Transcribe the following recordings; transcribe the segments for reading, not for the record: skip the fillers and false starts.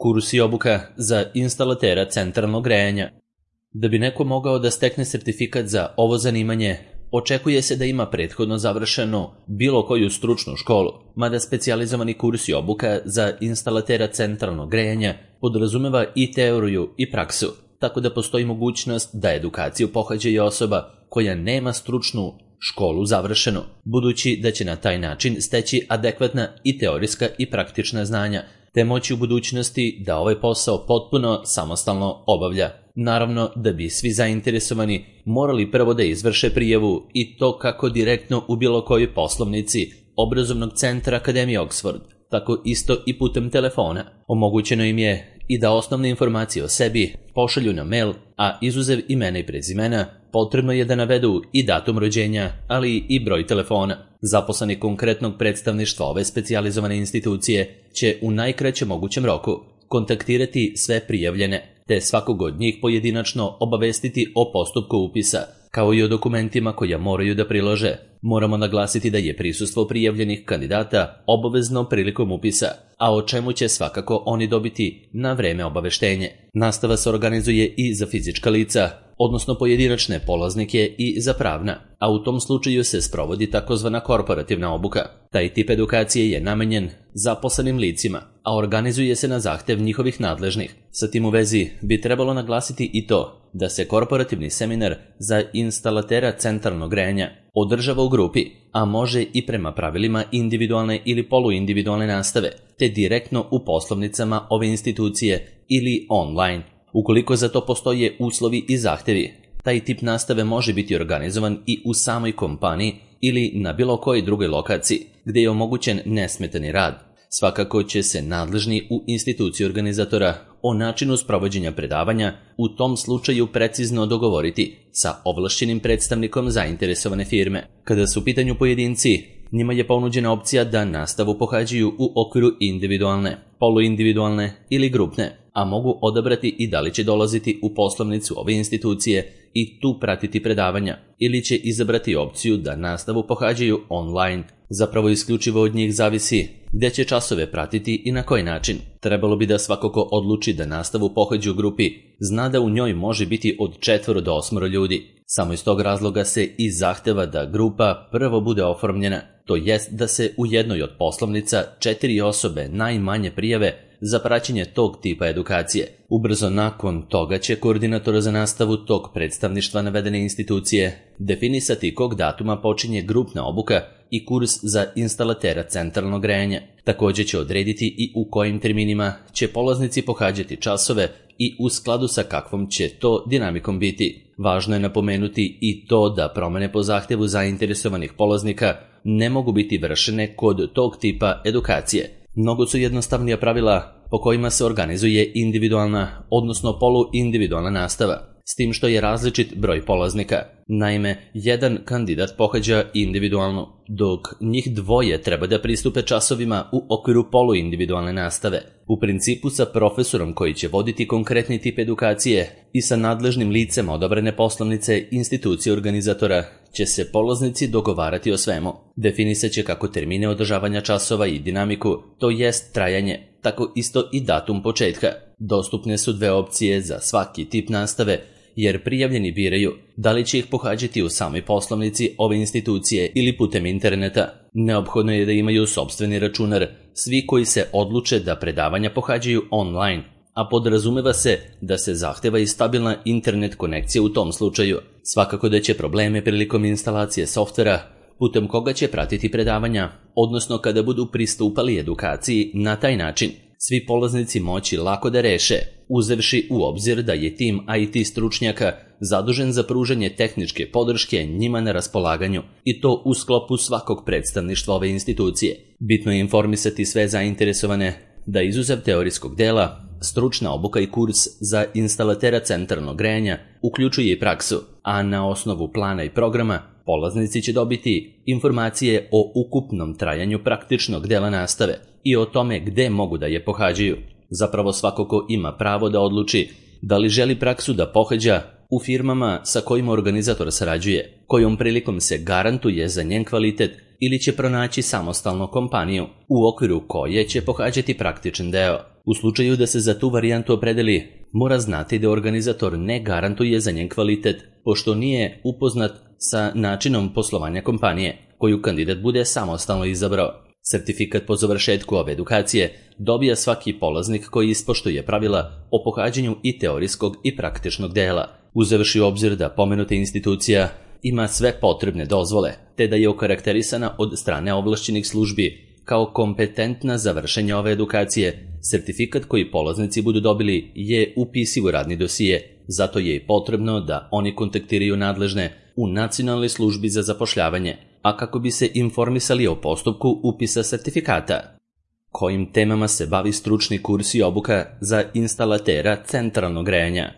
Kurs i obuka za instalatera centralnog grejanja. Da bi neko mogao da stekne sertifikat za ovo zanimanje, očekuje se da ima prethodno završeno bilo koju stručnu školu, mada specijalizovani kurs i obuka za instalatera centralnog grejanja podrazumeva i teoriju i praksu, tako da postoji mogućnost da edukaciju pohađa i osoba koja nema stručnu školu završenu, budući da će na taj način steći adekvatna i teorijska i praktična znanja, te moći u budućnosti da ovaj posao potpuno samostalno obavlja. Naravno da bi svi zainteresovani morali prvo da izvrše prijavu i to kako direktno u bilo kojoj poslovnici obrazovnog centra Akademije Oxford, tako isto i putem telefona. Omogućeno im je i da osnovne informacije o sebi pošalju na mail, a izuzev imena i prezimena potrebno je da navedu i datum rođenja, ali i broj telefona. Zaposleni konkretnog predstavništva ove specijalizovane institucije će u najkraćem mogućem roku kontaktirati sve prijavljene, te svakog od njih pojedinačno obavestiti o postupku upisa, kao i o dokumentima koja moraju da prilože. Moramo naglasiti da je prisustvo prijavljenih kandidata obavezno prilikom upisa, a o čemu će svakako oni dobiti na vreme obaveštenje. Nastava se organizuje i za fizička lica, odnosno pojedinačne polaznike i za pravna, a u tom slučaju se sprovodi takozvana korporativna obuka. Taj tip edukacije je namenjen zaposlenim licima, a organizuje se na zahtev njihovih nadležnih. Sa tim u vezi bi trebalo naglasiti i to da se korporativni seminar za instalatera centralnog grejanja održava u grupi, a može i prema pravilima individualne ili poluindividualne nastave, te direktno u poslovnicama ove institucije ili online. Ukoliko za to postoje uslovi i zahtevi, taj tip nastave može biti organizovan i u samoj kompaniji ili na bilo kojoj drugoj lokaciji, gdje je omogućen nesmetani rad. Svakako će se nadležni u instituciji organizatora o načinu sprovođenja predavanja u tom slučaju precizno dogovoriti sa ovlašćenim predstavnikom zainteresovane firme. Kada su u pitanju pojedinci, njima je ponuđena opcija da nastavu pohađaju u okviru individualne, poluindividualne ili grupne, a mogu odabrati i da li će dolaziti u poslovnicu ove institucije i tu pratiti predavanja, ili će izabrati opciju da nastavu pohađaju online. Zapravo isključivo od njih zavisi gdje će časove pratiti i na koji način. Trebalo bi da svako ko odluči da nastavu pohađa u grupi zna da u njoj može biti od 4 do 8 ljudi. Samo iz tog razloga se i zahteva da grupa prvo bude oformljena, to jest da se u jednoj od poslovnica 4 osobe najmanje prijave za praćenje tog tipa edukacije. Ubrzo nakon toga će koordinator za nastavu tog predstavništva navedene institucije definisati kog datuma počinje grupna obuka i kurs za instalatera centralnog grejanja. Također će odrediti i u kojim terminima će polaznici pohađati časove i u skladu sa kakvom će to dinamikom biti. Važno je napomenuti i to da promjene po zahtjevu zainteresovanih polaznika ne mogu biti vršene kod tog tipa edukacije. Mnogo su jednostavnija pravila po kojima se organizuje individualna, odnosno poluindividualna nastava, s tim što je različit broj polaznika. Naime, jedan kandidat pohađa individualno, dok njih dvoje treba da pristupe časovima u okviru poluindividualne nastave. U principu sa profesorom koji će voditi konkretni tip edukacije i sa nadležnim licem odabrane poslovnice institucije organizatora će se polaznici dogovarati o svemu. Definisat će kako termine održavanja časova i dinamiku, to jest trajanje, tako isto i datum početka. Dostupne su 2 opcije za svaki tip nastave, jer prijavljeni biraju da li će ih pohađati u samoj poslovnici ove institucije ili putem interneta. Neophodno je da imaju sopstveni računar svi koji se odluče da predavanja pohađaju online, a podrazumeva se da se zahteva i stabilna internet konekcija u tom slučaju. Svakako da će probleme prilikom instalacije softvera putem koga će pratiti predavanja, odnosno kada budu pristupali edukaciji na taj način, svi polaznici moći lako da reše, uzevši u obzir da je tim IT stručnjaka zadužen za pružanje tehničke podrške njima na raspolaganju i to u sklopu svakog predstavništva ove institucije. Bitno je informisati sve zainteresovane da izuzev teorijskog dela, stručna obuka i kurs za instalatera centralnog grejanja uključuje i praksu, a na osnovu plana i programa polaznici će dobiti informacije o ukupnom trajanju praktičnog dela nastave i o tome gde mogu da je pohađaju. Zapravo svako ko ima pravo da odluči da li želi praksu da pohađa u firmama sa kojima organizator sarađuje, kojom prilikom se garantuje za njen kvalitet ili će pronaći samostalnu kompaniju u okviru koje će pohađati praktičan deo. U slučaju da se za tu varijantu opredeli, mora znati da organizator ne garantuje za njen kvalitet, pošto nije upoznat sa načinom poslovanja kompanije koju kandidat bude samostalno izabrao. Sertifikat po završetku ove edukacije dobija svaki polaznik koji ispoštuje pravila o pohađanju i teorijskog i praktičnog dela, uzevši u obzir da pomenuta institucija ima sve potrebne dozvole, te da je okarakterisana od strane ovlašćenih službi kao kompetentna za vršenje ove edukacije. Sertifikat koji polaznici budu dobili je upisiv u radni dosije, zato je i potrebno da oni kontaktiraju nadležne u Nacionalnoj službi za zapošljavanje, a kako bi se informisali o postupku upisa sertifikata. Kojim temama se bavi stručni kurs i obuka za instalatera centralnog grejanja?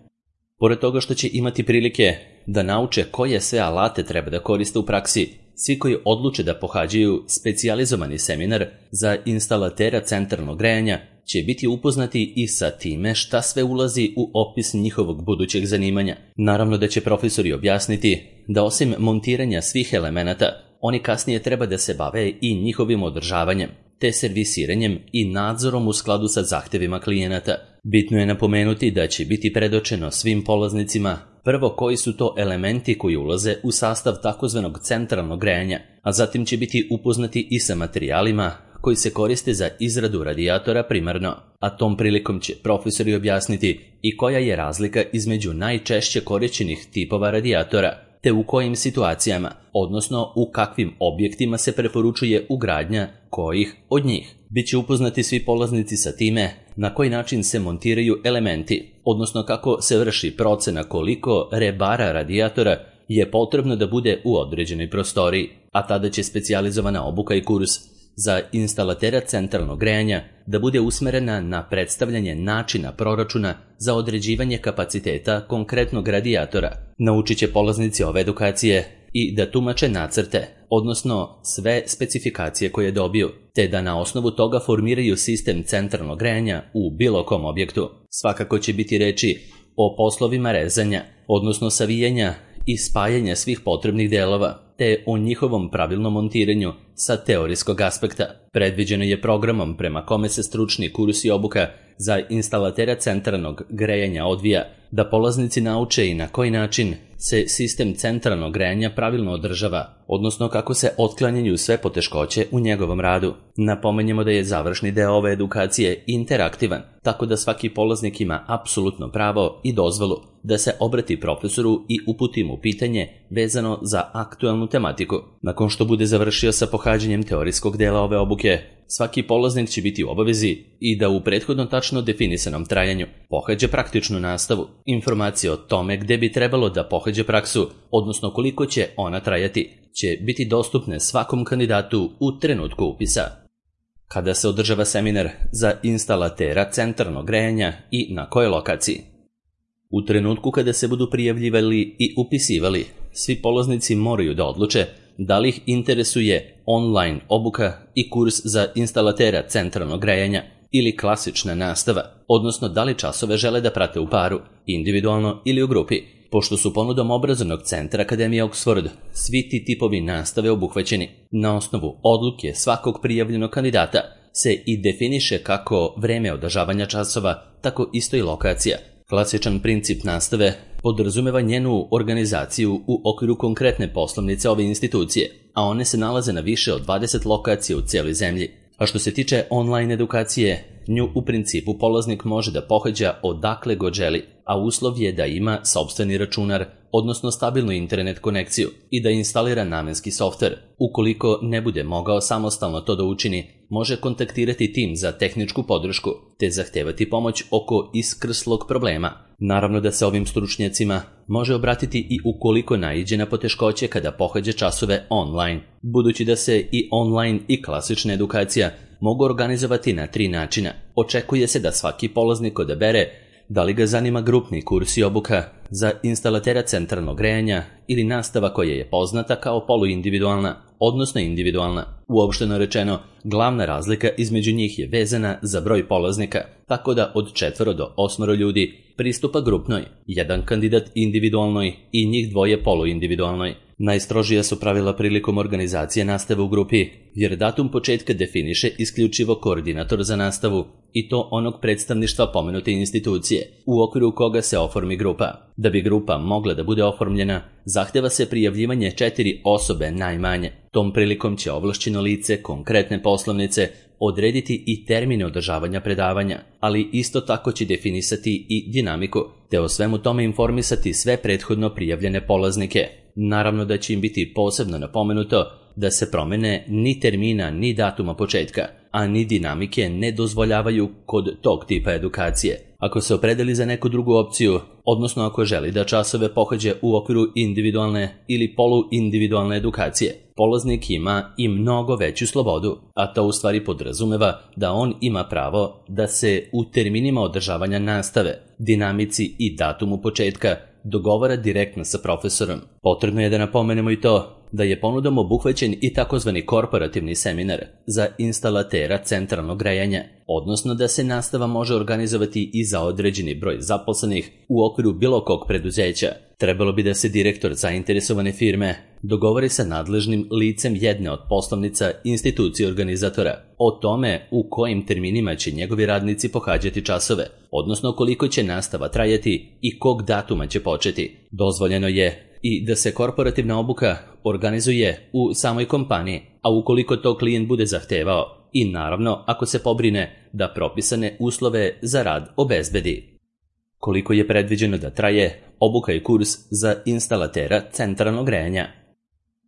Pored toga što će imati prilike da nauče koje sve alate treba da koriste u praksi, svi koji odluče da pohađaju specijalizovani seminar za instalatera centralnog grejanja će biti upoznati i sa time šta sve ulazi u opis njihovog budućeg zanimanja. Naravno da će profesori objasniti da osim montiranja svih elemenata, oni kasnije treba da se bave i njihovim održavanjem, te servisiranjem i nadzorom u skladu sa zahtevima klijenata. Bitno je napomenuti da će biti predočeno svim polaznicima prvo koji su to elementi koji ulaze u sastav takozvanog centralnog grejanja, a zatim će biti upoznati i sa materijalima koji se koriste za izradu radijatora primarno, a tom prilikom će profesori objasniti i koja je razlika između najčešće korišćenih tipova radijatora, te u kojim situacijama, odnosno u kakvim objektima se preporučuje ugradnja kojih od njih. Biće upoznati svi polaznici sa time na koji način se montiraju elementi, odnosno kako se vrši procena koliko rebara radijatora je potrebno da bude u određenoj prostoriji, a tada će specijalizovana obuka i kurs za instalatera centralnog grejanja da bude usmerena na predstavljanje načina proračuna za određivanje kapaciteta konkretnog radijatora. Naučit će polaznici ove edukacije i da tumače nacrte, odnosno sve specifikacije koje dobiju, te da na osnovu toga formiraju sistem centralnog grejanja u bilo kom objektu. Svakako će biti reči o poslovima rezanja, odnosno savijanja i spajanja svih potrebnih delova, te o njihovom pravilnom montiranju sa teorijskog aspekta. Predviđeno je programom prema kome se stručni kurs i obuka za instalatera centralnog grejanja odvija, da polaznici nauče i na koji način se sistem centralnog grejanja pravilno održava, odnosno kako se otklanjaju sve poteškoće u njegovom radu. Napomenjemo da je završni deo ove edukacije interaktivan, tako da svaki polaznik ima apsolutno pravo i dozvolu da se obrati profesoru i uputi mu pitanje vezano za aktualnu tematiku. Nakon što bude završio sa pohađanjem teorijskog dela ove obuke, svaki polaznik će biti u obavezi i da u prethodno tačno definisanom trajanju pohađa praktičnu nastavu. Informacije o tome gde bi trebalo da pohađa praksu, odnosno koliko će ona trajati, će biti dostupne svakom kandidatu u trenutku upisa. Kada se održava seminar za instalatera centralnog grejanja i na kojoj lokaciji? U trenutku kada se budu prijavljivali i upisivali, svi polaznici moraju da odluče da li ih interesuje online obuka i kurs za instalatera centralnog grejanja ili klasična nastava, odnosno da li časove žele da prate u paru, individualno ili u grupi. Pošto su ponudom obrazovnog centra Akademije Oxford svi ti tipovi nastave obuhvaćeni, na osnovu odluke svakog prijavljenog kandidata se i definiše kako vreme održavanja časova, tako isto i lokacija. Klasičan princip nastave podrazumeva njenu organizaciju u okviru konkretne poslovnice ove institucije, a one se nalaze na više od 20 lokacija u cijeloj zemlji. A što se tiče online edukacije, nju u principu polaznik može da pohađa odakle god želi, a uslov je da ima sopstveni računar, odnosno stabilnu internet konekciju i da instalira namenski softver. Ukoliko ne bude mogao samostalno to da učini, može kontaktirati tim za tehničku podršku te zahtevati pomoć oko iskrslog problema. Naravno da se ovim stručnjacima može obratiti i ukoliko naiđe na poteškoće kada pohađa časove online, budući da se i online i klasična edukacija mogu organizovati na 3 načina. Očekuje se da svaki polaznik odabere da li ga zanima grupni kurs i obuka za instalatera centralnog grejanja ili nastava koja je poznata kao poluindividualna, odnosno individualna. Uopšteno rečeno, glavna razlika između njih je vezana za broj polaznika, tako da od 4 do 8 ljudi pristupa grupnoj, jedan kandidat individualnoj i njih 2 poluindividualnoj. Najstrožija su pravila prilikom organizacije nastave u grupi, jer datum početka definiše isključivo koordinator za nastavu i to onog predstavništva pomenute institucije, u okviru koga se oformi grupa. Da bi grupa mogla da bude oformljena, zahteva se prijavljivanje 4 osobe najmanje. Tom prilikom će ovlašćeno lice konkretne poslovnice odrediti i termine održavanja predavanja, ali isto tako će definisati i dinamiku, te o svemu tome informisati sve prethodno prijavljene polaznike. Naravno da će im biti posebno napomenuto da se promene ni termina ni datuma početka, a ni dinamike ne dozvoljavaju kod tog tipa edukacije. Ako se opredeli za neku drugu opciju, odnosno ako želi da časove pohađa u okviru individualne ili poluindividualne edukacije, polaznik ima i mnogo veću slobodu, a to u stvari podrazumeva da on ima pravo da se u terminima održavanja nastave, dinamici i datumu početka dogovara direktno sa profesorom. Potrebno je da napomenemo i to da je ponudom obuhvaćen i takozvani korporativni seminar za instalatera centralnog grejanja, odnosno da se nastava može organizovati i za određeni broj zaposlenih u okviru bilo kog preduzeća. Trebalo bi da se direktor zainteresovane firme dogovori sa nadležnim licem jedne od poslovnica institucije organizatora o tome u kojim terminima će njegovi radnici pohađati časove, odnosno koliko će nastava trajati i kog datuma će početi. Dozvoljeno je i da se korporativna obuka organizuje u samoj kompaniji, a ukoliko to klijent bude zahtevao i naravno ako se pobrine da propisane uslove za rad obezbedi. Koliko je predviđeno da traje obuka i kurs za instalatera centralnog grejanja?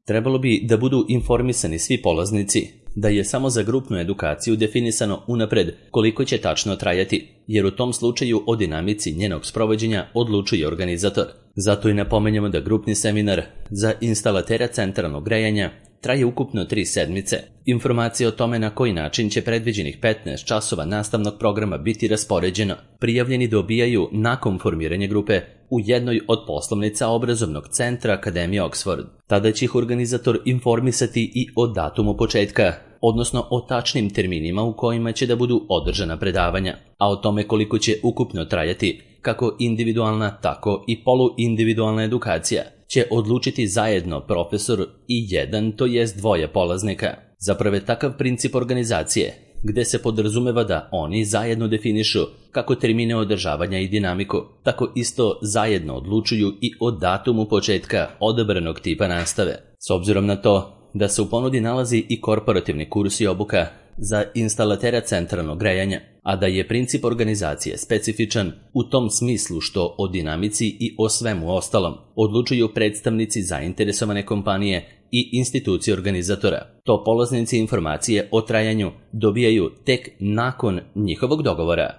Trebalo bi da budu informisani svi polaznici da je samo za grupnu edukaciju definisano unapred koliko će tačno trajati, jer u tom slučaju o dinamici njenog sprovođenja odlučuje organizator. Zato i napomenjamo da grupni seminar za instalatera centralnog grejanja traje ukupno 3 sedmice. Informacije o tome na koji način će predviđenih 15 časova nastavnog programa biti raspoređeno, prijavljeni dobijaju nakon formiranja grupe u jednoj od poslovnica obrazovnog centra Akademije Oxford. Tada će ih organizator informisati i o datumu početka, odnosno o tačnim terminima u kojima će da budu održana predavanja, a o tome koliko će ukupno trajati kako individualna, tako i poluindividualna edukacija će odlučiti zajedno profesor i jedan, to jest dvoje polaznika. Zapravo je takav princip organizacije, gde se podrazumeva da oni zajedno definišu kako termine održavanja i dinamiku, tako isto zajedno odlučuju i o datumu početka odabranog tipa nastave. S obzirom na to da se u ponudi nalazi i korporativni kurs i obuka za instalatera centralnog grejanja, a da je princip organizacije specifičan u tom smislu što o dinamici i o svemu ostalom odlučuju predstavnici zainteresovane kompanije i institucije organizatora. To polaznici informacije o trajanju dobijaju tek nakon njihovog dogovora.